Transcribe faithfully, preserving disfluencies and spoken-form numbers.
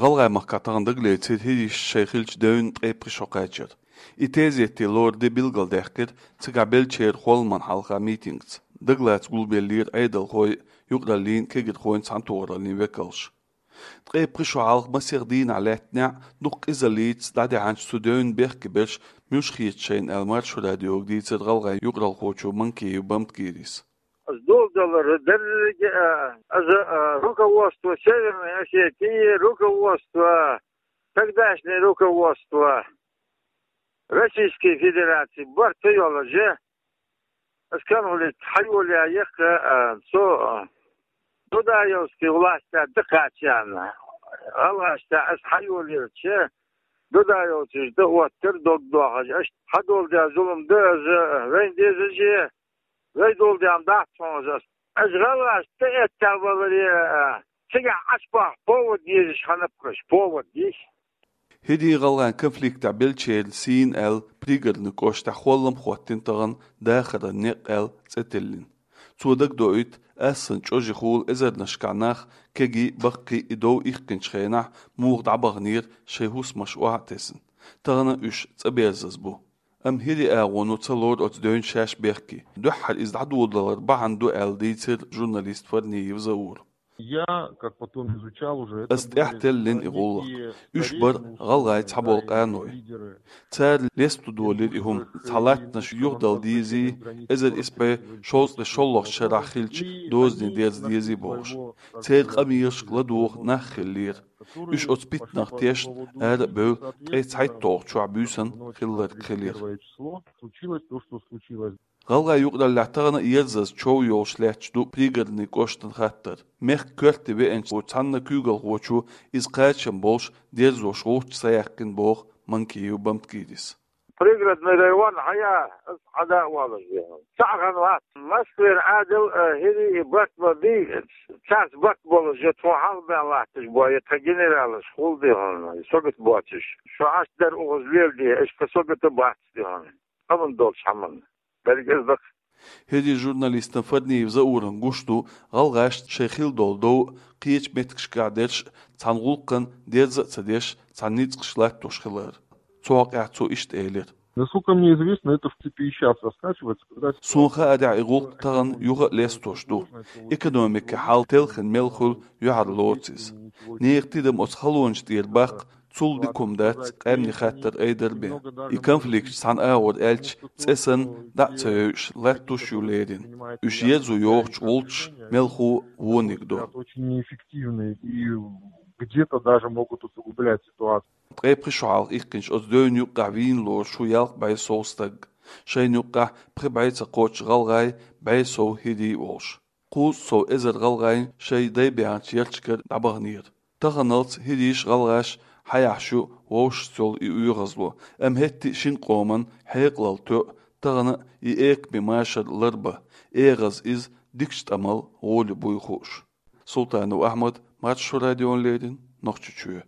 ГӀалгӀай махкахь тахана дагалецира хӀирийш шайн хиллачу девнна ткъе пхи шо кхачар. И тезетан лоран де билгалдаьккхира цигахь беллачеран холламан хьалха митингца. Дагалаца гулбеллера Ӏедалхой, юкъараллин, кегирхойн цхьаьнатохараллин векалш. Ткъе пхи шо хьалха масех дийнахь лаьттинехь дукха къизаллица дӀадаьхьначу цу девнна бехке берш муьлш хета шайна аьлла, Маршо радиога дийцира гӀалгӀайн юкъаралхочо Манкиев Бамтгирис. Аса доладелар дерриге а, аса, а, руководство Северной Осетии, руководство, тогдашнее руководство Российской Федерации барт ца йолаш, аса конфликт хьайолаяь яхха, а, цу, а, Дудаевский властя дӀакхачарна. ГӀалгӀашца аса хьайолаелча, дудаевцаш дӀаоттар дог дохьаш, аса хьадоладаь зулам дан аса вайна дезаш, вай доладаьхна дац хьуна аса. Аса гӀалгӀашца тӀеэттаваларе, а, цигахь Ӏаш баккха повод езаш хиннаб-кх уьш, повод езаш. ХӀирийн-гӀалгӀайн конфликтехь беллачеран сийна аьлла, Пригородный кӀоштахь холлам хӀоттийна тахана «Дахаран некъ» аьлла цӀе тиллина. Цо дагадоуьйту, Ӏаьссан чӀожехула эзарнашкахь нах, кегий, баккхий, и дов иккхинчу хенахь муха дӀабаханера шайн хӀусамаш охьа а тесна. Тахана уьш цӀа берзаза бу. Амма хӀирийн агӀоно ца лору оцу девнна шаьш бехке. Дуьххьара иза дӀадоладалар бахьана ду аьлла дийцира журналист Фарниев Заура. Я, как потом изучал уже, это Ас тӀаьхьа теллина и гӀуллакх. Уьш бара гӀалгӀайн цхьаболу къаной. Цара лесто долийра и хӀума. Цхьа латтанаш юхадала дезий, эзар исс бӀе шовзткъе шолгӀачу шарахь хиллачу дозанийн дерза дезий бохуш. Церан къамелашка ладугӀу нах хиллера. Уьш оцу питанах тешна ара а бевлла, ткъе цхьайтталгӀачу шарахь буьйсанна хилларг хилира. Первое число случилось то, что случилось. ГӀалгӀайн юкъараллехь тахана а ерзаза чов йолуш лаьтташ ду Пригородный кӀоштан хаттар. Мехкан коьрте веанчу цхьана куьйгалхочо иза кхачам болуш дерзош гӀулч ца яьккхина боху Манкиев Бамтгирис. Пригородный район хьая, аса хьада а волуш веана. Цхьаъ хан вац. Москвера Ӏадал, а, хӀирий и барт ма бий, царца барт болуш я тхо хьалха бен латташ бу, я тхан генералаш хул де хьуна, согат боцуш. Шо Ӏаш дар укхаза леладе, аша тхан согата бац де хьуна. Амма долчу хьаманна. Берриг иза дац. ХӀирийн журналистана Фарниев Заурана гуш ду, гӀалгӀашна шайн хилла долу дов, кхечу меттигашкахь дерш цхьана гӀуллакхана дерза а ца деш, цхьана ницкъаш латтош хилар. Цу хьокъехь цо иштта элира. Насколько мне известно, это в цепи и щас раскачивается, когда Суна хаарехь, и гӀуллакх тахана юха а лестош ду. Экономикин хьал телхина мел хуьлу, юьхьарлоцу иза. Нехан тидам оцу халонаш тӀера баккха, цул дика хӀума дац къаьмнийн хаттар айдар бен. И конфликташ цхьана агӀор аьлча, цӀе санна, дӀа а ца йойуш, латтош ю леррина. Уьш ерзо йохучу гӀулчаш мелхо вониг ду. Очень неэффективные и где-то даже могут усугублять ситуацию. Ткъе пхи шо хьалха иккхинчу оцу девнна юккъехь вийна лоруш ву ялх бӀе сов стаг. Шайна юккъехь пхи бӀе ца кхоччу гӀалгӀай, бӀе сов хӀирий волуш. Кхузткъа сов эзар гӀалгӀайн шайн дай баьхначу ярташкара дӀабаханера. Таханалц хӀирийш, гӀалгӀаш хьаяхьаш ю вовшашца йолу и оьгӀазло, амма хӀетте а шина къоман хьекъалалла тоьу тахана а и экаме машар ларбан, эгӀаза иза дикачу тӀамал гӀоле буй хууш. Султанов Ахьмад, Маршо радиона леррина, Нохчийчоь.